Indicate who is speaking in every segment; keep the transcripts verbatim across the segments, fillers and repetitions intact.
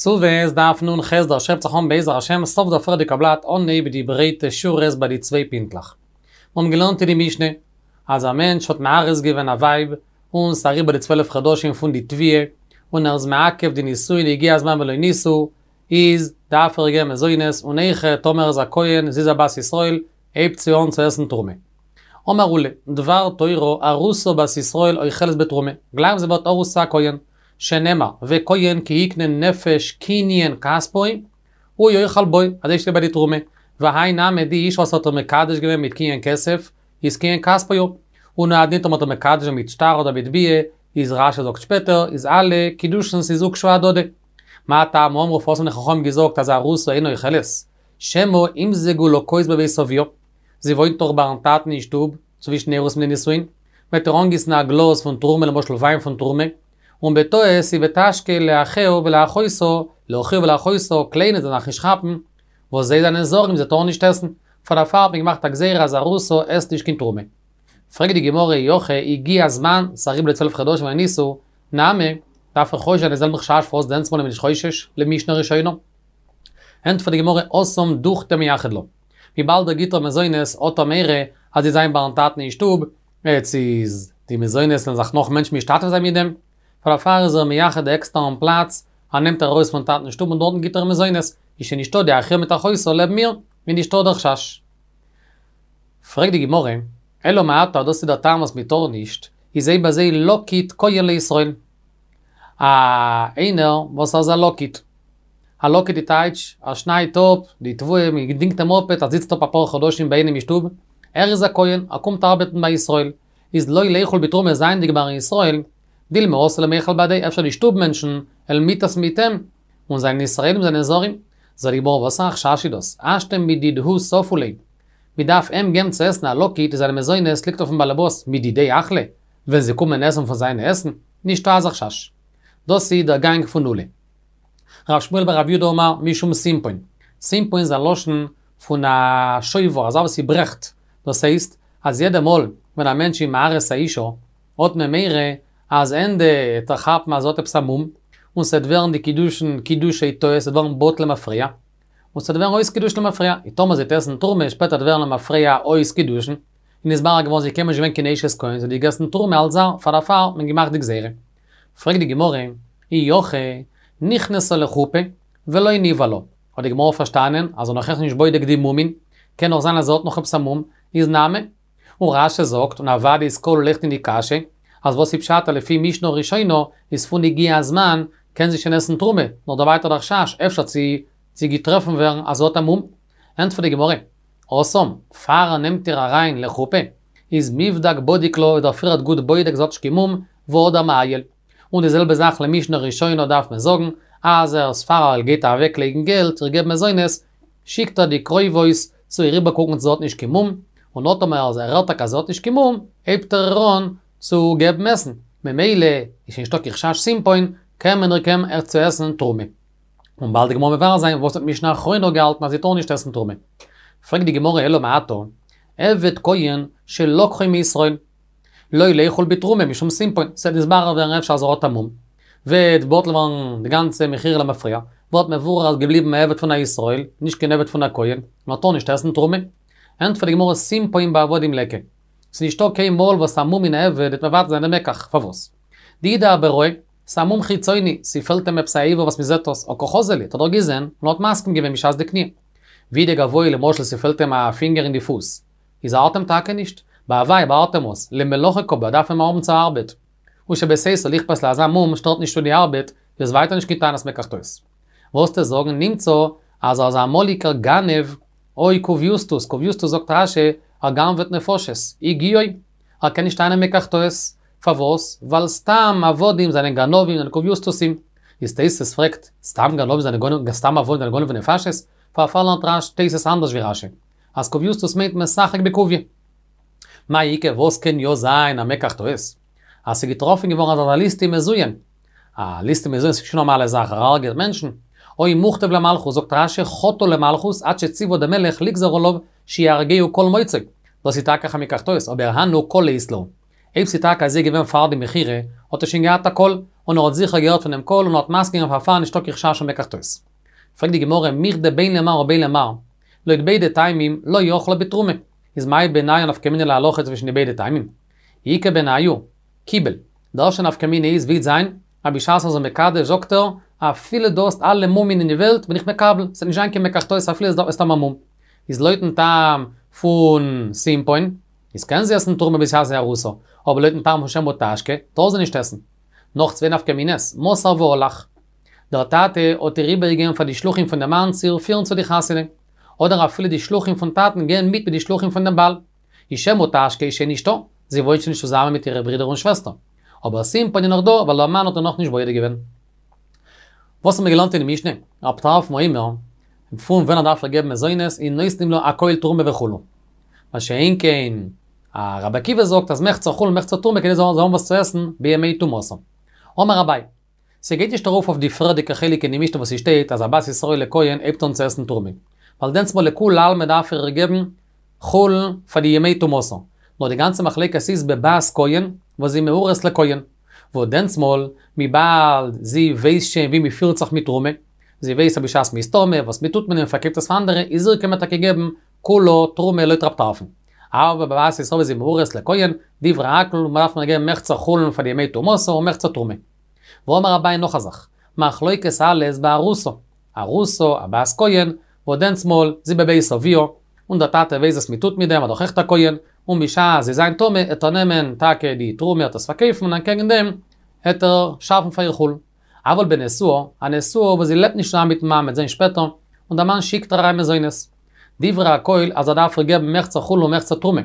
Speaker 1: כתובות דף נ"ח דער שעפט זיך אן בעזר השם סוף דער פריערדיגע בלאט אנהייב די ברייטע שורות ביי די צוויי פינטלעך. מיר האבן געלערנט אין די משנה אז א מענטש האט מארס געווען א ווייב און ס'איז אריבער די צוועלף חדשים פון די תביעה און ער איז מעכב די נישואין הגיע הזמן ולא נישאו איז דארף ער געבן מזונות און אויכעט טאמער ער איז א כהן זי איז א בת ישראל הייבט זי אן צו עסן תרומה. אמר עולא, דבר תורה ארוסה בת ישראל אוכלת בתרומה, גלייך ווי זי ווערט ארוס צו א כהן, שנאמר, וכהן כי יקנה נפש קנין כספו, הוא יאכל בו, אזוי שטייט ביי די תרומה, והאי נמי די אשה וואס האט איר מקדש געווען מיט קנין כסף, איז קנין כספו הוא, און הוא הדין טאמער האט איר מקדש געווען מיט שטר אדער מיט ביאה, איז רש"י זאגט שפעטער, איז אלע קידושינ'ס איז הוקשו אהדדי. מה טעם אמרו פארוואס האבן די חכמים געזאגט אז ארוסה אינה אוכלת? שמא ימזגו לה כוס בבית אביה, זי וואוינט דאך ביים טאטן אין שטוב, צווישן אירוסין מיט די נישואין, וועט ער אנגיסן א גלאז פון תרומה למשל וויין פון תרומה, און בטעות היא ותשקה לאחיה ולאחותה, לאחיה ולאחותה, קליינע זאלן זיך נישט כאפן, וואס זיי זענען זרים זיי טארן נישט עסן, פאר דערפאר האט מען געמאכט א גזירה אז ארוסה עסט נישט קיין תרומה. פרעגט די גמרא אי הכי הגיע הזמן, ס'איז אריבער די צוועלף חדשים ולא נישאו, נמי, דארף איך חושש זיין די זעלבע חשש פארוואס דענסמאל איז מען נישט חושש, למשנה ראשונה. ענטפערט די גמרא התם דוכתיה מייחד לה. וויבאלד ער גיט איר מזונות האט ער מורא אז זי וועט זיין ביים טאטן אין שטוב, יעצט איז די מזונות וועלן זיך נאך מענטשן משתתף זיין מיט דעם, פאר דערפאר איז ער מייחד א עקסטערן פלאץ, ער נעמט איר ארויס פון טאטן שטוב און דארטן גיט ער מזונות, איז שוין נישטא די אחיה מיט אחותה לעבן איר, איז נישטא דער חשש. פרעגט די גמרא, אלא מעתה דאס איז דער טעם וואס מען טאר נישט, איז אויב אזוי לקיט כהן לישראל. א איינער וואס איז א לקיט. א לקיט די טייטש, ער שניידט אפ די תבואה, מען דינגט אים אפ, ער זיצט אפ אפאר חדשים ביי איינעם אין שטוב, ער איז א כהן, ער קומט ארבעטן ביי ישראל, איז לא ליכול בתרומה זייענדיג ביי ישראל, דילמא אתי למיכל בהדיה, אפשר די שטוב מענטשן וועלן מיטעסן מיט אים, און זענען ישראלים זענען זרים. זאגט די גמרא וואס א חשש איז דאס, השתא מדידהו ספו ליה. מען דארף אים געבן צו עסן א לקיט, זיינע מזונות ליגט אויפן באלעבאס, מדידיה אכלי, ווען זיי קומען עסן פון זיינע עסן, נישטא אזא חשש. דאס איז דער גאנג פון עולא. רב שמואל בר רב יודא אמר משום סימפון. סימפון איז א לשון פון א שובר, אזא וואס ס'ברעכט. דאס הייסט, אז יעדע מאל ווען א מענטש איז מארס א אישה, האט מען מורא אז ענדע וועט ער כאפן אז זי האט עפעס א מום, און ס'וועט ווערן די קידושין קידושי טעות, ס'וועט ווערן בטל למפרע. און ס'וועט ווערן אויס קידושין למפרע. און טאמער זי וועט עסן תרומה, שפעטער וועט ווערן למפרע אויס קידושין. און נתברר געווארן זי איז קיינמאל נישט געווען קיין אשת כהן, זי האט געגעסן תרומה אלס זר, פאר דערפאר האט מען געמאכט די גזירה. פרעגט די גמרא, אי הכי, נכנסה לחופה, ולא נבעלה. האט די גמרא פארשטאנען אז ער נאך אויך נישט בודק די מומין, קען נאך זיין אז זי האט נאך עפעס א מום, איז נמי. און רש"י זאגט, און אוודאי איז כלול אויכעט אין די קשיא, אז וואס איז פשט אז לפי משנה ראשונה איז פון הגיע הזמן קען זי שוין עסן תרומה, נאר דא ווייטער דער חשש אפשר צו צו געטרעפן ווערן אז זי האט א מום. ענטפערט די גמרא, התם, פאר ער נעמט איר אריין לחופה, איז מיבדק בדיק לה איז ער פריערט גוט בודק זי האט נישט קיין מום, והדר מעייל. און די זעלבע זאך למשנה ראשונה דארף מען זאגן, אז ער איז פאר ער גייט אוועק לייגן געלט, איר געבן מזונות, שיקט ער די קרובות צו איר איבערקוקן צו זי האט נישט קיין מום, און נאר טאמער ער הערט טאקע אז זי האט נישט קיין מום, הייבט ער איר אן צו געבן עסן, ממילא איז שוין נישטא קיין חשש סימפון, קען מען איר געבן אויך צו עסן תרומה. און באלד די גמרא מבאר זיין וואס האט משנה אחרונה געהאלטן אז זי טאר נישט עסן תרומה. פרעגט די גמרא אלא מעתה, עבד כהן שלקחו מישראל, לא ליכול בתרומה משום סימפון, ס'וועט נתברר ווערן אפשר אז ער האט א מום, וועט בטל ווערן די גאנצע מכירה למפרע, ווערט מבורר אז געבליבן א עבד פון א ישראל, נישט קיין עבד פון א כהן, און ער טאר נישט עסן תרומה. ענטפערט די גמרא סימפון בעבדים ליכא. ס'איז נישטא קיין מאל וואס א מום אין א עבד וועט מבטל זיין די מקח, פארוואס? דאי דאבערעא, ס'איז א מום חיצוני, ס'פעלט אים עפעס א איבר וואס מ'זעט עס, הא קא חזי ליה, האט ער דאך געזען, און האט מסכים געווען בשעת די קניה. ואי דגואי למשל ס'פעלט אים א פינגער אין די פוס, איז ארט אים טאקע נישט, באוואי ארט אים עס, למלאכה קא בעי דארף אים האבן צו ארבעט. ושבסייסא ליכפת ליה אזא מום שטערט נישט צו די ארבעט, איז ווייטער נישט קיין טענת מקח טעות. וועסטו זאגן נמצא אז ער איז א אמאליגער גנב, או קוביוסטוס, קוביוסטוס זאגט רש"י, ער גנב'עט נפשות, הגיעו, ער קען נישט טענה'ן מקח טעות. פארוואס? ווייל סתם עבדים זענען גנבים זענען קוביוסטוסים. איז תוס' פרעגט, סתם גנבים זענען גונב, סתם עבדים זענען גונבי נפשות? פארפאלן לערנט רש תוס' אנדערש ווי רש"י. אז קוביוסטוס מיינט משחק בקוביא. מאי איכא וואס קען יא זיין א מקח טעות? אז ס'איז געטראפן געווארן אז ער איז א ליסטים מזוין. א ליסטים מזוין איז נישט קיין נארמאלע זאך, ער הרג'עט מענטשן. או מוכתב למלכות, זאגט רש"י חטא למלכות עד שציוה דער מלך לגזור עליו שיהרגהו כל מוצאו. דאס איז טאקע א מקח טעות, אבער הנו קלא אית להו. אויב ס'איז טאקע אזוי געווען פאר די מכירה, האט ער שוין געהאט א קול, און ער האט זיכער געהערט פון דעם קול און האט מסכים געווען פארפארן נישטא קיין חשש פון מקח טעות. פרעגט די גמרא מכדי בין למר ובין למר, לויט ביידע טעמים לא אכלה בתרומה, איז מאי בינייהו נפקא מינה להלכה צווישן די ביידע טעמים? איכא בינייהו, קיבל. די ערשטע נפקא מינה איז וועט זיין, אז בשעת ער איז מקדש זאגט ער, אפילו דו האסט אלע מומין אין די וועלט בין איך מקבל, ס'וועט נישט זיין קיין מקח טעות אפילו דו האסט א מום. איז לויטן טעם פון סימפון, איז קען זי עסן תרומה בשעת זי ארוסה, אבער לויטן טעם פון שמא תשקה, טאר זי נישט עסן. נאך צוויי נפקא מינה'ס, מסר והלך. דער טאטע האט איר איבערגעגעבן פאר די שלוחים פון דעם מאן צו איר פירן צו די חתונה. אדער אפילו די שלוחים פון טאטן גייען מיט מיט די שלוחים פון דעם בעל. איז שמא תשקה איז שוין נישטא, זי וואוינט שוין נישט צוזאמען מיט אירע ברידער און שוועסטער. אבער סימפון איז נאך דא, ווייל דער מאן האט איר נאכנישט בודק געווען. וואס האבן מיר געלערנט אין די משנה? רב טרפון אומר, פון ווען ער דארף איר געבן מזונות, איז נותנין לה הכל תרומה וכו'. מה שאין כן, רבי עקיבא זאגט אז מחצה חולין ומחצה תרומה כדי זאל האבן וואס צו עסן בימי טומאתה. אמר אביי, ס'גייט נישט ארויף אויף די פריערדיגע חלק אין די משנה וואס ס'שטייט אז א בת ישראל לכהן הייבט אן צו עסן תרומה. ווייל דענסטמאל לכולי עלמא דארף ער איר געבן חולין פאר די ימי טומאתה. נאר די גאנצע מחלוקת איז בבת כהן וואס זי מאורס לכהן. וואס דענסטמאל, וויבאלד זי ווייסט שוין ווי מ'פירט זיך מיט תרומה, זי ווייסט אז בשעת מ'איז טמא וואס מ'טוט מיט דעם מ'פארקויפט עס פאר אנדערע, איז איר קען מען טאקע געבן כולה תרומה לויט רב טרפון. אבער בבת ישראל וואס זי מאורס לכהן, דברי הכל, מ'דארף איר געבן מחצה חולין פאר די ימי טומאתה און מחצה תרומה. ואמר אביי נאך א זאך, מחלוקת אלעס בארוסה, ארוסה, א בת כהן, וואס דענסטמאל, זי בבית אביה, און דער טאטע ווייסט וואס מ'טוט מיט דעם, ער איז דאך אויכעט א כהן, און בשעת זי זיין טמא, עט ער נעמען טאקע די תרומה עט עס פארקויפן און אנטקעגן דעם, עט ער שאפן פאר איר חולין. אבל בנשואה, א נשואה וואס זי לעבט נישט צוזאמען מיטן מאן מ'עט זען שפעטער, און דער מאן שיקט אריין מזונות. דברי הכל אז ער דארף איר געבן מחצה חולין ומחצה תרומה.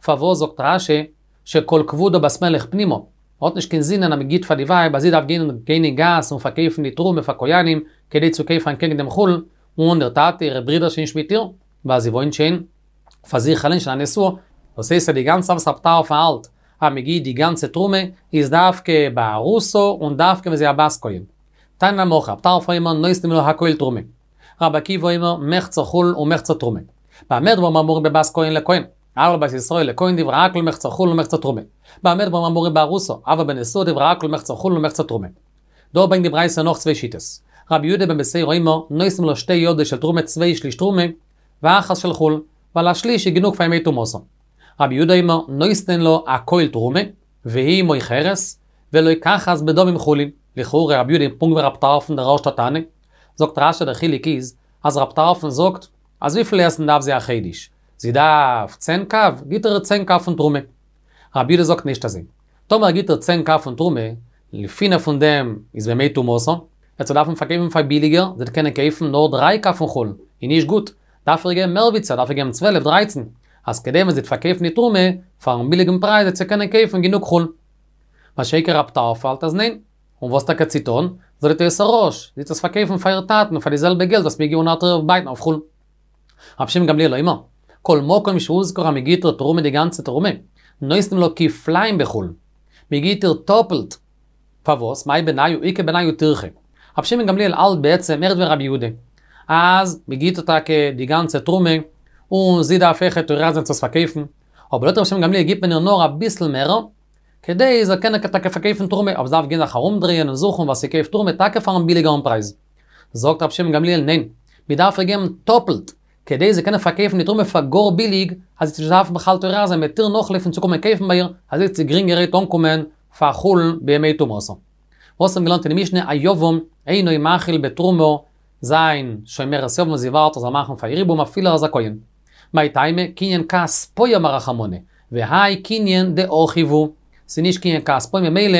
Speaker 1: פארוואס זאגט רש"י שכל כבודה בת מלך פנימה, האט נישט קיין זינען אז מ'גיט פאר די ווייב אז זי דארף גיין גיין אין גאס און פארקויפן די תרומה פאר כהנים כדי צו קויפן אנטקעגן דעם חולין, און דער טאטע אירע ברידער שוין נישט מיט איר, ווייל זי וואוינט שוין פאר זיך אליין שוין א נשואה. דאס הייסט אז די גאנצע וואס רב טרפון האלט אז מ'גיט די גאנצע תרומה איז דווקא בארוסה און דווקא ווען זי א בת כהן. תניא נמי הכי רב טרפון אומר נותנין לה הכל תרומה. רבי עקיבא אומר מחצה חולין ומחצה תרומה. במה דברים אמורים בבת כהן לכהן? אבל בת ישראל לכהן דברי הכל מחצה חולין ומחצה תרומה. במה דברים אמורים בארוסה? אבל בנשואה דברי הכל מחצה חולין ומחצה תרומה. דא ברענגט די ברייתא נאך צוויי שיטות. רבי יהודה בן בתירא אומר נותנין לה שתי ידות של תרומה צוויי שליש תרומה ואחת של חולין, ווייל א שליש איז גענוג פאר ימי טומאתה. רבי יהודה אומר נותנין לה הכל תרומה, והיא מוכרת, ולוקחת בדמים חולין. לכאורה רבי יהודה פונקט ווי רב טרפון דער ערשטער תנא. זאגט רש"י דער חילוק איז, אז רב טרפון זאגט, אז וויפיל עסן דארף זי א חודש? זי דארף צען קב, גיט ער איר צען קב פון תרומה. רבי יהודה זאגט נישט אזוי. טאמער גיט ער צען קב פון תרומה, פינף פון דעם איז בימי טומאתה, וועט זי דארפן פארקויפן פאר ביליגער, זי וועט קענען קויפן נאר דריי קב פון חולין, איז נישט גוט, דארף ער געבן מער ווי צען, דארף ער געבן צוועלף, דרייצן, אז כדי ווען זי וועט פארקויפן די תרומה, פארן ביליגן פרייז וועט זי קענען קויפן גענוג חולין. מה שאין כן רב טרפון האלט אז ניין. און וואס טאקע צו טון? זאגט די תוס' הרא"ש, זי וועט עס פארקויפן פאר איר טאטן פאר די זעלבע געלט וואס מ'גיט און ער וועט איר בייטן אויף חולין. רבי שמעון גמליאל אומר, כל מקום שהוזכר אז מ'גיט איר תרומה די גאנצע תרומה, נותנין לה כפליים בחולין. מ'גיט איר טאפלט. פארוואס? מאי בינייהו איכא בינייהו טירחא. רבי שמעון גמליאל האלט בעצם מער ווי רבי יהודה. אז מ'גיט איר טאקע די גאנצע תרומה, און זי דארף אויכעט טורח זיין צו עס פארקויפן. אבער לויט רבי שמעון גמליאל גיט מען איר נאר אביסל מער, כדי זי זאל קענען טאקע פארקויפן תרומה, אבער זי דארף גיין זיך ארומדרייען און זוכן וואס ס'קויפט תרומה טאקע פארן ביליגערן פרייז. זאגט רבי שמעון גמליאל ניין, מ'דארף איר געבן טאפלט, כדי זי קענען פארקויפן די תרומה פאר גאר ביליג, אז זי זאל נישט דארפן בכלל טורח זיין מ'עט איר נאכלויפן צו קומען קויפן ביי איר, אזוי וועט זי גרינגערהייט אנקומען פאר חולין בימי טומאתה. וואס האבן געלערנט אין די משנה היבם אינו מאכיל בתרומה זיין שומרת יבם זי ווארט ער זאל מאכן פאר איר יבום אפילו ער איז א כהן. מאי טעמא קניין כספו אמר רחמנא, והאי קניין דאחיו הוא, ס'איז נישט קניין כספו ממילא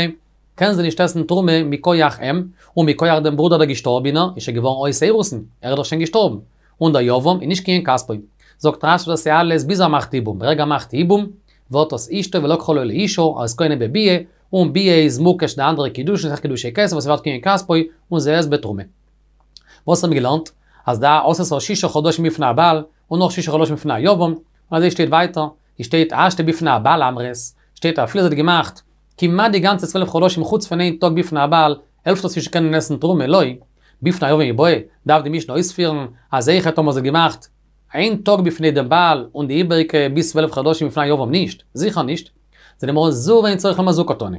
Speaker 1: קען זי נישט עסן תרומה מכח אים, און מכח דעם ברודער דער געשטארבענער איז שוין געווארן אויס אירוסין, ער איז דאך שוין געשטארבן, און דער יבם איז נישט קניין כספו. זאגט רש"י דאס איז אלעס ביז ער מאכט יבום, ברגע ער מאכט יבום ווערט דאס אשתו ולקחה לו לאשה, ער איז קונה בביאה, און ביאה איז מוקש די אנדערע קידושין, ס'איז קידושי כסף וואס ווערט קניין כספו, און זי עסט בתרומה. וואס האבן מיר געלערנט? אז דא עשתה שישה חדשים בפני הבעל, און נאך שישה חדשים בפני היבם, און אזוי שטייט ווייטער, עס שטייט השתא בפני הבעל אמרת, שטייט אפילו זי האט געמאכט כמעט די גאנצע צוועלף חדשים חוץ פון איין טאג בפני הבעל, העלפט עס נישט קענען עסן תרומה, לא, בפני היבם מיבעיא, דארף די משנה אויספירן אז אויכעט טאמער זי האט געמאכט איין טאג בפני דעם בעל און די איבעריגע ביז צוועלף חדשים בפני היבם נישט, זיכער נישט. זאגט די גמרא זו ואין צריך לומר זו קתני.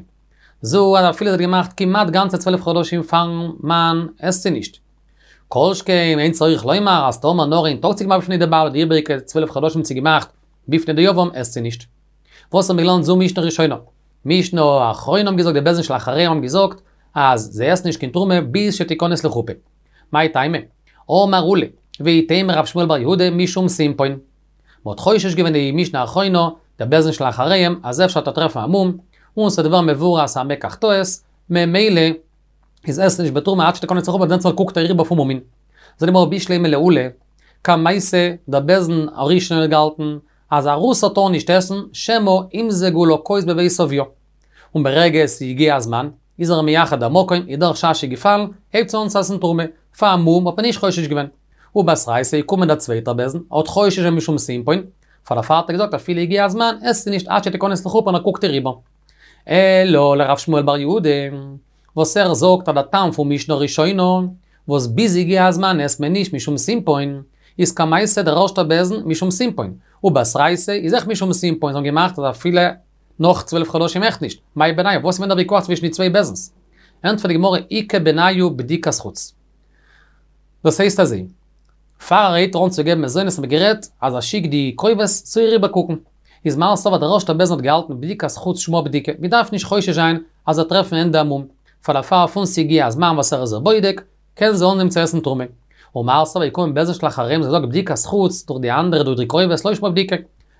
Speaker 1: זו אז אפילו זי האט געמאכט כמעט גאנצע צוועלף חדשים פארן מאן, עסט זי נישט. כל שכן אין צריך לומר אז טאמער נאר איין טאג האט זי געמאכט בפני די בעל די איבעריגע צוועלף חדשים האט זי געמאכט בפני די יבם עסט זי נישט. וואס האבן מיר געלערנט זו משנה ראשונה. משנה אחרונה האבן געזאגט די בית דין של אחריהם האבן געזאגט אז זי עסט נישט קיין תרומה ביז שתיכנס לחופה. מאי טעמא? אמר עולא, ואיתימא רב שמואל בר יהודה משום סימפון. מ'האט חושש געווען די משנה אחרונה, דער בית דין של אחריהם, אז אפשר וועט ער טרעפן א מום, און ס'וועט ווערן מבואר אז ס'איז א מקח טעות, ממילא איז עסט זי נישט בתרומה עד שתיכנס לחופה דענסטמאל קוקט ער איבער אויף מומין. זאגט די גמרא בשלמא לעולא, קמייתא, דער בית דין הראשון האט געהאלטן אז ארוסה טאר נישט עסן, שמא ימזגו לה כוס בבית אביה. און ברגע עס איז הגיע הזמן, איז ער מייחד א מקום, איז דער חשש איז געפאלן, הייבט זי אן צו עסן תרומה. פאר א מום האט מען נישט חושש געווען. ובתרייתא איז געקומען דער צווייטער בית דין, האט חושש געווען משום סימפון, פאר דערפאר האט ער געזאגט אפילו הגיע הזמן, עסט זי נישט עד שתיכנס לחופה און ער קוקט איר איבער. אלא לרב שמואל בר יהודה, וואס ער זאגט אז דער טעם פון משנה ראשונה, וואס ביז הגיע הזמן עסט מען נישט משום סימפון, איז קמייתא דער ערשטער בית דין משום סימפון, ובתרייתא איז אויך משום סימפון, זיי האבן געמאכט אז אפילו נאך צוועלף חדשים אויך נישט, מאי בינייהו, וואס איז געווען דער ויכוח צווישן די צוויי בית דין'ס? ענטפערט די גמרא איכא בינייהו בדיקת חוץ. דאס הייסט אזוי, פאר ער הייבט אן צו געבן מזונות האט מען גערעדט אז ער שיקט די קרובות צו איר איבערקוקן. איז מר סבר דער ערשטער בית דין האט געהאלטן בדיקת חוץ שמה בדיקה, מען דארף נישט חושש זיין אז ער וועט טרעפן אין ענדע א מום, פאר דערפאר פון ס'הגיע הזמן וואס ער איז איר בודק, קען זי אנהייבן צו עסן תרומה. ומר סבר איז געקומען בית דין של אחריהם זיי זאגט בדיקת חוץ דורך די אנדערע דורך די קרובות לא שמה בדיקה.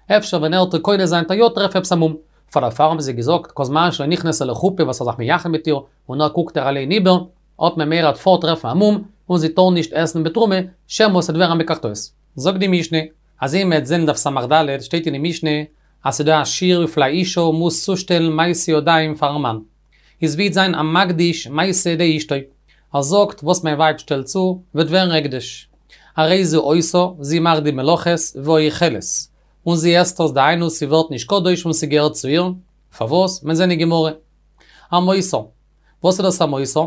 Speaker 1: אפשר ווען ער וועט איר קונה זיין וועט ער יא טרעפן עפעס א מום. פאר דערפאר האבן זיי געזאגט כל זמן שלא נכנסה לחופה וואס ער איז זיך מייחד מיט איר און ער קוקט איר אליין איבער, האט מען מורא ער וועט פארט טרעפן א מום און זי טאר נישט עסן בתרומה, שמא ס'וועט ווערן א מקח טעות. זאגט די משנה, אזוי מ'עט זען דף סמך ד' שטייט אין די משנה אז ס'דא א שיעור וויפיל א אישה מוז צושטעלן מעשי ידיים פארן מאן. איז ווי וועט זיין המקדיש מעשה ידי אשתו. ער זאגט וואס מיין ווייב שטעלט צו וועט ווערן הקדש. הרי זו עושה, זי מאכט די מלאכות, ואוכלת. און זי עסט עס דהיינו ס'ווערט נישט קדוש און ס'געהערט צו איר. פארוואס? מ'עט זען אין גמרא. המותר. וואס איז דאס המותר?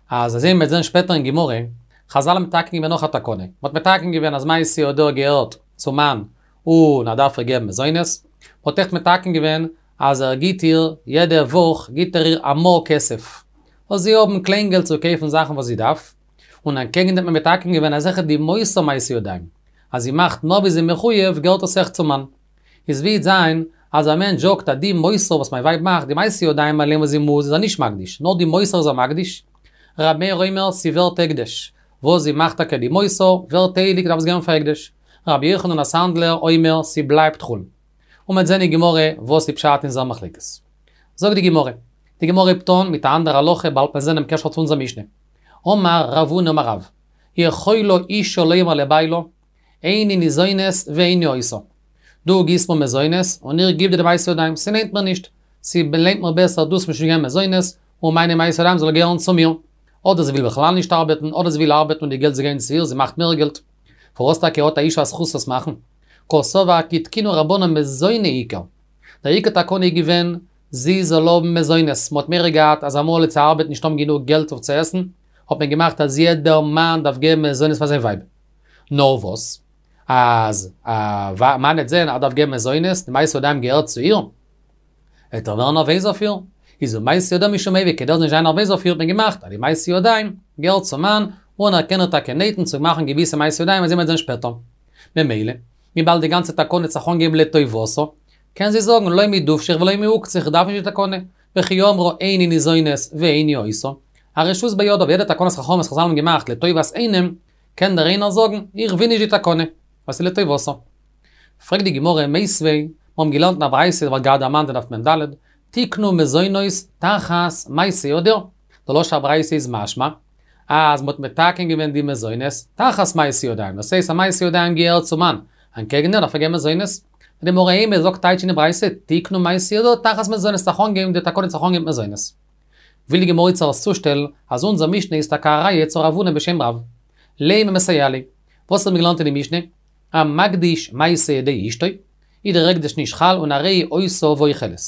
Speaker 1: אז אזוי מ'וועט זען שפעטער אין גמרא, חזל האבן מתקן געווען נאך א תקנה. מ'האט מתקן געווען אז מעשה ידיה געהערט צום מאן און ער דארף איר געבן מזונות. מ'האט אויך מתקן געווען אז ער גיט איר יעדע וואך גיט ער איר א מעה כסף. זאל זי האבן קליינגעלט צו קויפן זאכן וואס זי דארף. און אנטקעגן דעם האט מען מתקן געווען אז אויכעט די מותר מעשה ידיים. אז זי מאכט מער ווי זי מחויב געהערט עס אויך צום מאן. איז ווי וועט זיין אז א מענטש זאגט אז די מותר וואס מיין ווייב מאכט, די מעשה ידיים אליין וואס זי מוז איז ער נישט מקדיש, נאר די מותר איז ער מקדיש. ר' מאיר אומר ס'ווערט הקדש. וואס זי מאכט טאקע די מותר, ווערט הייליג דארף עס גיין פאר הקדש. רבי יוחנן הסנדלר אומר ס'בלייבט חולין. און מ'וועט זען אין גמרא וואס איז פשט אין זייער מחלוקת. זאגט די גמרא. די גמרא הייבט אן מיט א אנדערע הלכה באלד מ'עט זען דעם קשר צו אונזער משנה. אמר רב הונא אמר רב, יכולה אישה לומר לבעלה, איני ניזונת ואיני עושה. דו גיבסט מיר מזונות און איך גיב דיר די מעשה ידיים, ס'לוינט מיר נישט. ס'לוינט מיר בעסער דו זאלסט מיר שוין געבן מזונות און מיינע מעשה ידיים זאל געהערן צו מיר. אדער זי וויל בכלל נישט ארבעטן, אדער זי וויל ארבעטן און די געלט זאל גיין צו איר, זי מאכט מער געלט. פארוואס טאקע האט א אישה א זכות עס מאכן? קסבר כי תקינו רבנן מזוני עיקר. דער עיקר תקנה איז געווען, זי זאל האבן מזונות, מ'האט מורא געהאט אז אמאל וועט זי ארבעטן נישט האבן גענוג געלט אויף צו עסן, האט מען געמאכט אז יעדער מאן דארף געבן מזונות פאר זיין ווייב. נאר וואס? אז א מאן וועט זען אז ער דארף געבן מזונות, די מעשה ידיים געהערט צו איר, וועט ער ווערן נערוועז אויף איר. איז ומעשה ידיה משום איבה, כדי ער זאל נישט זיין נערוועז אויף איר האט מען געמאכט אז די מעשה ידיים געהערט צום מאן, און ער קען איר טאקע נייטן צו מאכן געוויסע מעשה ידיים אזוי מ'וועט זען שפעטער. ממילא, וויבאלד די גאנצע תקנה האט זיך אנגעהויבן לטובתה, קען זי זאגן לא מדובשך ולא מעוקצך איך דארף נישט די תקנה, וכי אמרה איני ניזונת ואיני עושה, הרשות בידה, ווי יעדע תקנת חכמים וואס חזל האבן געמאכט לטובת איינעם, קען דער איינער זאגן, איך וויל נישט די תקנה, ווייל ס'איז לטובתה. פרעגט די גמרא, מיתיבי, מיר האבן געלערנט אין א ברייתא, ווערט גראדע דערמאנט אין דף מ"ד, תיקנו מזונות תחת מעשה ידיה, די לשון הברייתא איז משמע, אז מ'האט מתקן געווען די מזונות תחת מעשה ידיים, דאס הייסט אז מעשה ידיים געהערט צום מאן, אנטקעגן דעם דארף ער געבן מזונות. די גמרא אימא זאגט טייטש אין די ברייתא, תיקנו מעשה ידיה תחת מזונות, ס'האט זיך אנגעהויבן די תקנה האט זיך אנגעהויבן מיט מזונות. וויל די גמרא איצט צושטעלן אז אונזער משנה איז טאקע א ראיה צו רב הונא בשם רב. לימא מסייע ליה. וואס האט מען געלערנט אין די משנה? המקדיש מעשה ידי אשתו, איז דער הקדש נישט חל און הרי היא עושה ואוכלת.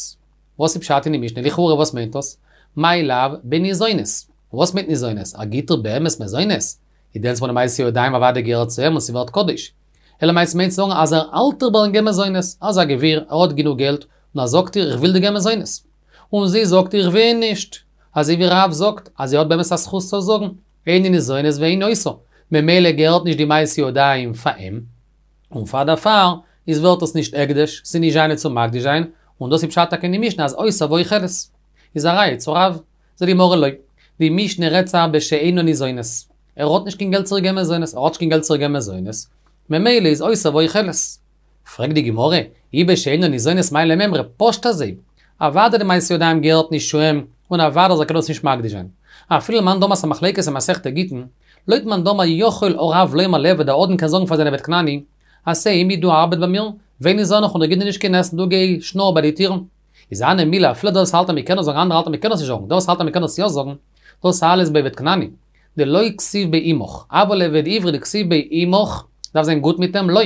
Speaker 1: וואס איז פשט אין די משנה? לכאורה וואס מיינט דאס? מאי לאו בניזונת. וואס מיינט ניזונת? ער גיט איר באמת מזונות? איז דענסמאל די מעשה ידיים אוודאי געהערט צו אים און ס'ווערט קדוש. אלא מאי ס'מיינט צו זאגן אז ער האלט איר ביים געבן מזונות. ער איז א גביר, ער האט גענוג געלט, און ער זאגט איר איך וויל דיר געבן מזונות. און זי זאגט איך וויל נישט, אזוי ווי רב זאגט אז זי האט באמת א זכות צו זאגן, איני ניזונת ואיני עושה, ממילא געהערט נישט די מעשי ידיים פאר אים, און פאר דערפאר איז ווערט עס נישט הקדש, ס'איז נישט זיינע צו מקדיש זיין, און דאס איז פשט טאקע אין די משנה אז עושה ואוכלת. איז א ראיה צו רב, זאגט די גמרא לא. די משנה רעדט זיך בשאינה ניזונת. ער האט נישט קיין געלט צו איר געבן מזונות, ער האט נישט קיין געלט צו איר געבן מזונות, ממילא איז עושה ואוכלת. פרעגט די גמרא, אי בשאינה ניזונת מאי למימרא, פשט אזוי, אוודאי די מעשי ידיים געהערט נישט צו אים, און אוודאי אז ער קען דאס נישט מקדיש זיין. אפילו למאן דאמר ס'א מחלוקת אין מסכת גיטין, לויט מאן דאמר יכול הרב לומר לעבד דער אדון קען זאגן פאר זיין עבד כנעני, עשה עמי דו ארבעט ביי מיר, ואיני זונך און איך גיב דיר נישט קיין עסן דו גיי שנאר ביי די טירן. איז הני מילי אפילו דער וואס האלט אז מ'קען עס זאגן אנדערע האלטן אז מ'קען עס נישט זאגן דער וואס האלט אז מ'קען עס יא זאגן, דאס אלעס ביי עבד כנעני, דלא כתיב ביה עמך, אבל עבד עברי דכתיב ביה עמך, דארף זיין גוט מיט אים, לא.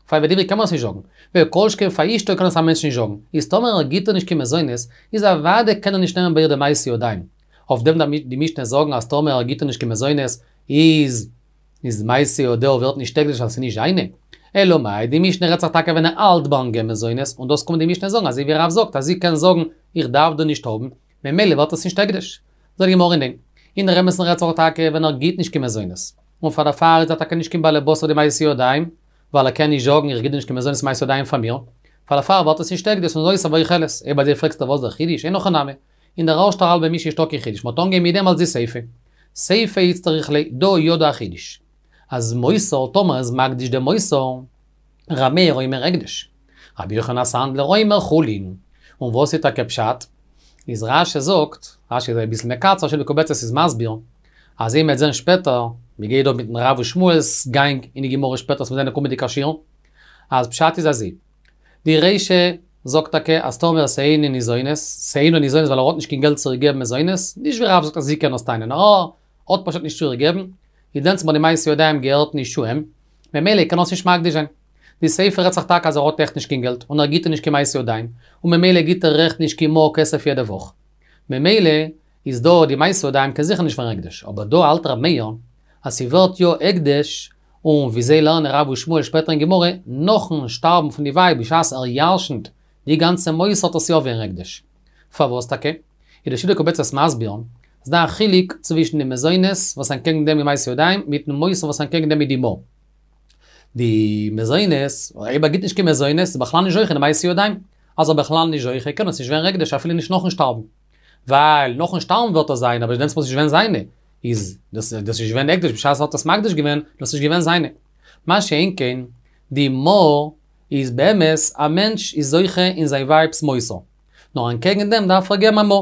Speaker 1: פאר עבד עברי קען מען עס נישט זאגן, וכל שכן פאר אשתו קען עס א מענטש נישט זאגן, איז טאמער ער גיט איר נישט קיין מזונות, איז אוודאי קען ער נישט נעמען ביי איר די מעשי ידיים. אויף דעם דארף די משנה זאגן אז טאמער ער גיט איר נישט קיין מזונות, איז איז מעשי ידיה ווערט נישט הקדש ווייל ס'איז נישט זיינע. אלא מאי, די משנה רעדט זיך טאקע ווען ער האלט ביים געבן מזונות, און דאס קומט די משנה זאגן אזוי ווי רב זאגט אז זי קען זאגן איך דארף דיר נישט האבן, ממילא ווערט עס נישט הקדש. זאגט די גמרא ניין. אין דער אמת'ן רעדט זיך טאקע ווען ער גיט נישט קיין מזונות. און פאר דערפאר איז ער טאקע נישט קיין באלעבאס אויף די מעשי ידיים, ווייל ער קען נישט זאגן איך גיב דיר נישט קיין מזונות מעשי ידיים פאר מיר. פאר דערפאר ווערט עס נישט הקדש און עושה ואוכלת. אויב אזוי פרעגסטו וואס דער חידוש? אין הכי נמי. אין דער ערשטער האלבע משנה נישטא קיין חידוש, מ'האט אנגעהויבן מיט דעם אלס די סיפא. סיפא איצטריך ליה, דא ידע חידוש. אז מותר טאמער איז מקדיש דעם מותר, ר' מאיר אומר הקדש. רבי יוחנן הסנדלר אומר חולין. און וואס איז טאקע פשט? איז רש"י זאגט, רש"י איז אביסל מקצר, שיטה מקובצת איז מסביר, אז ווי מ'וועט זען שפעטער, מ'גייט דא מיטן רב ושמואל'ס גאנג אין די גמרא שפעטער וואס מיר זעען אין קומענדיגע שיעור, אז פשט איז אזוי, די רישא זאגט טאקע אז טאמער ס'אינה ניזונת, ס'אינה ניזונת ווייל ער האט נישט קיין געלט צו איר געבן מזונות, נישט ווי רב זאגט אז זי קען עס טענה'ן, נאר ער האט פשוט נישט צו איר געבן, איז דענסטמאל די מעשי ידיים געהערט נישט צו אים, ממילא קען ער עס נישט מקדיש זיין. די סיפא רעדט זיך טאקע אז ער האט עכט נישט קיין געלט, און ער גיט איר נישט קיין מעשי ידיים, און ממילא גיט ער עכט נישט קיין מעה כסף יעדע וואך. ממילא איז דא די מעשי ידיים קען זיכער נישט ווערן הקדש, אבער דא האלט ר' מאיר אז ס'ווערט יא הקדש, און ווי זיי לערנען רב ושמואל שפעטער אין גמרא, נאכן שטארבן פון די ווייב בשעת ער ירשנ'ט די גאנצע מותר וועט עס יא ווערן הקדש. פארוואס טאקע? איז די שיטה מקובצת מסביר, ס'דא א חילוק צווישן די מזונות וואס אנטקעגן דעם איז מעשי ידיים מיטן מותר וואס אנטקעגן דעם איז די מעה. די מזונות, אויב ער גיט נישט קיין מזונות איז בכלל נישט זוכה די מעשי ידיים. אז ער בכלל נישט זוכה קען עס נישט ווערן הקדש אפילו נישט נאכן שטארבן. ווייל נאכן שטארבן ווערט עס זיינע אבער דענסטמאל איז נישט געווען זיינע. איז דאס דאס איז געווען הקדש בשעת ער האט עס מקדיש געווען, דאס איז געווען זיינע. מה שאין כן, די מעה איז באמת א מענטש איז זוכה אין זיין ווייב'ס מותר. נאר אנטקעגן דעם דארף ער געבן א מעה.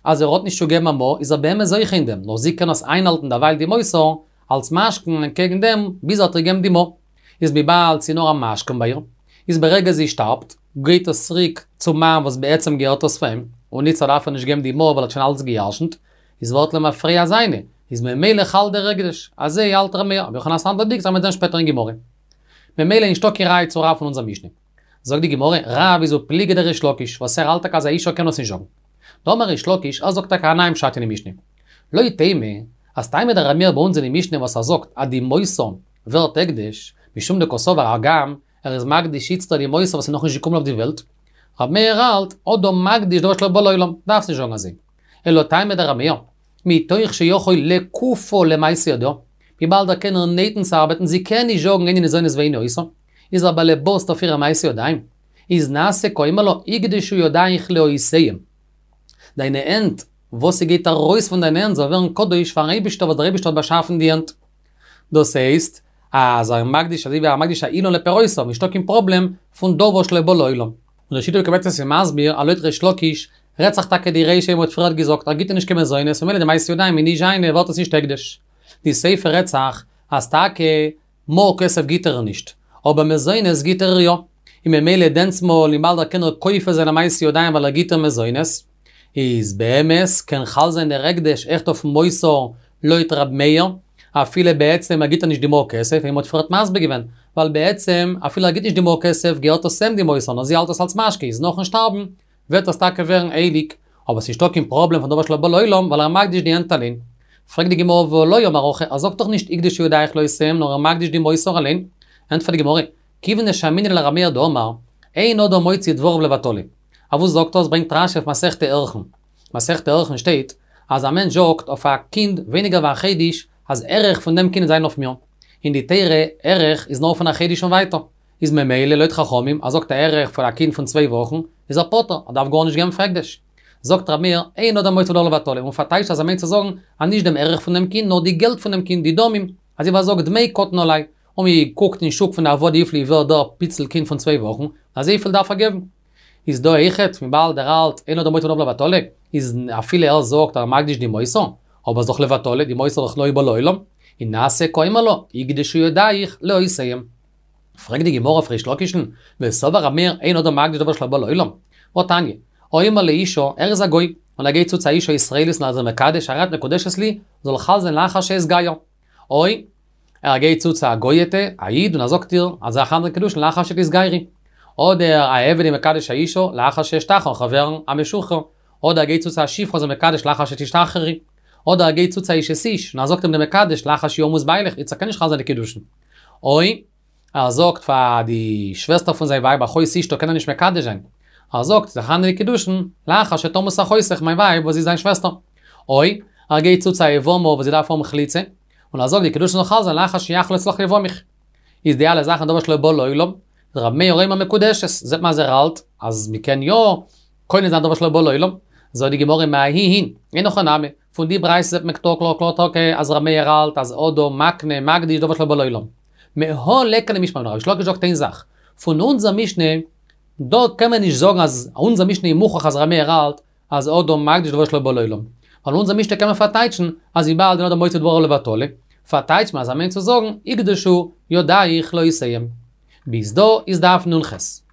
Speaker 1: אז ער האט נישט צו געבן א מעה איז ער באמת זוכה אין דעם, נאר זי קען עס איינהאלטן דערווייל די מותר אלס משכון אנטקעגן דעם ביז ער האט איר געבן די מעה. איז וויבאלד ס'איז נאר א משכון ביי איר, איז ברגע זי שטארבט, גייט עס צוריק צום מאן וואס בעצם געהערט עס פאר אים, און איצטער דארף ער נישט געבן די מעה ווייל ער האט שוין אלץ גע'ירש'נט, איז ווערט למפרע זיינע, איז ממילא חל דער הקדש, אזוי האלט ר' מאיר, רבי יוחנן הסנדלר דיקט זיך מ'וועט זען שפעטער אין גמרא. ממילא נישטא קיין ראי' צו רב פון אונזער משנה. זאגט די גמרא, רב איז ופליגא דריש לקיש, וואס ער האלט טאקע אז א אישה קען עס נישט זאגן. דאמר ריש לקיש, ער זאגט טאקע א נייעם פשט אין די משנה. לא תימא, אז טעמא דר' מאיר ביי אונז אין די משנה וואס ער זאגט אז די מותר ווערט הקדש, משום דקסבר הגם ער איז מקדיש איצטער די מותר וואס איז נאכנישט געקומען אויף די וועלט, ר' מאיר האלט, אדם מקדיש דבר שלא בא לעולם, דארפסט נישט זאגן אזוי. אלא טעמא דר' מאיר, מתוך שיכול לכופה למעשה ידיה, וויבאלד ער קען איר נייטן צו ארבעטן, זי קען נישט זאגן איני ניזונת ואיני עושה, איז ער באלעבאסט אויף אירע מעשי ידיים, איז נעשה כאומר לה יקדשו ידייך לעושיהם. דיינע הענט, וואס ס'גייט ארויס פון דיינע הענט זאל ווערן קדוש פארן אייבישטער וואס דער אייבישטער האט באשאפן די הענט. דאס הייסט, אז ער מקדיש אזוי ווי ער מקדיש א אילן לפירותיו, נישטא קיין פראבלעם פון דבר שלא בא לעולם. און די שיטה מקובצת איז מסביר אז לויט ריש לקיש רעדט זיך טאקע די רישא ווי מ'האט פריערט געזאגט ער גיט איר נישט קיין מזונות ממילא די מעשי ידיים איז נישט זיינע ווערט עס נישט הקדש. די סיפא רעדט זיך אז טאקע מעה כסף גיט ער איר נישט, אבער מזונות גיט ער איר יא, און ממילא דענסמאל וויבאלד ער קען איר כופה זיין א מעשי ידיים ווייל ער גיט איר מזונות, איז באמת קען חל זיין דער הקדש עכט אויפן מותר לויט ר' מאיר, אפילו בעצם ער גיט איר נישט די מעה כסף, ווי מ'האט פריערט מסביר געווען, ווייל בעצם אפילו ער גיט נישט די מעה כסף געהערט עס אים די מותר נאר זי האלט עס אלס משכון איז נאכן שטארבן וועט עס טאקע ווערן הייליג, אבער ס'נישטא קיין פראבלעם פון דבר שלא בא לעולם ווייל ער מקדיש די הענט אליין. פרעגט די גמרא והא לא אמר הכי, ער זאגט דאך נישט יקדשו ידייך לעושיהם נאר ער מקדיש די מותר אליין. ענטפערט די גמרא, כיוון דשמעינן לר' מאיר דאמר, אין אדם מוציא דבריו לבטלה. אויף וואס זאגט ער? עס ברענגט רשי אויף מסכת ערכין. מסכת ערכין שטייט, אז א מענטש זאגט אויף א קינד ווייניגער ווי א חודש, אז ערך פון דעם קינד זיין אויף מיר. אין די תורה, ערך איז נאר פון א חודש און ווייטער. איז ממילא לויט חכמים, ער זאגט א ערך פון א קינד פון צוויי וואכן, איז ער פטור, ער דארף גארנישט געבן פאר הקדש. זאגט רבי מאיר, אין אדם מוציא דבר לבטלה, און פארטייטשט אז ער מיינט צו זאגן, אז נישט דעם ערך פון דעם קינד, נאר די געלט פון דעם קינד, די דמים, אזוי ווי ער זאגט דמי קטן עלי, און מען קוקט אין שוק פון די עבדים וויפיל איז ווערט דער פיצל קינד פון צוויי וואכן, אזויפיל דארף ער געבן. איז דא אויכעט, וויבאלד ער האלט, אין אדם מוציא דבר לבטלה, איז אפילו ער זאגט ער מקדיש די מותר, אבער איז דאך לבטלה, די מותר איז דאך לא בא לעולם, און נעשה כאומר לה, הוקדשו ידיך לעושיהם. פרעגט די גמרא אויף ריש לקיש'ן, וסבר רבי מאיר אין אדם מקדיש דבר שלא בא לעולם. והתניא, האומר לאשה, ער איז א גוי, און ער גייט צו צו א אישה ישראלית און ער איז איר מקדש, הרי את מקודשת לי, זאל חל זיין לאחר שאתגייר. או, ער גייט צו צו א גוי'טע, א איד, און ער זאגט איר, אז זאל חל זיין קידושין לאחר שתתגיירי. אדער א עבד איז מקדש א אישה, לאחר שאשתחרר, כ'וועל ווערן א משוחרר. אדער ער גייט צו צו א שפחה איז ער מקדש לאחר שתשתחררי. אדער ער גייט צו צו א אשת איש, און ער זאגט אים דעם מקדש לאחר שימות בעלך, איצטער קען נישט חל זיין די קידושין. או, ער זאגט פאר די שוועסטער פון זיין ווייב אחות אשתו קען ער נישט מקדש זיין. ער זאגט זאל חל זיין די קידושין לאחר שתמות אחותך מיין ווייב וואס איז זיין שוועסטער. או, ער גייט צו צו א יבמה וואס זי דארף האבן חליצה, און ער זאגט די קידושין זאל חל זיין לאחר שיחלוץ לך יבמיך. איז די אלע זאכן דבר שלא בא לעולם, ר' מאיר אומר מקודשת, זעט מען אז ער האלט אז מ'קען יא קונה זיין דבר שלא בא לעולם, זאגט די גמרא מההיא אין, אין הכי נמי, פון די ברייתא זעט מען קלאר קלאר קלאר טאקע אז ר' מאיר האלט אז אדם מקנה מקדיש דבר שלא בא לעולם. מהא ליכא למשמע מינה, ריש לקיש זאגט איין זאך, פון אונזער משנה, דא קען מען נישט זאגן אז אונזער משנה איז מוכרח אז ר' מאיר האלט אז אדם מקדיש דבר שלא בא לעולם. ווייל אונזער משנה קען מען פארטייטשן אז וויבאלד אין אדם מוציא דבריו לבטלה, פארטייטשט מען אז ער מיינט צו זאגן הקדשו ידיך לעושיהם. ביז דא איז דף נ ח.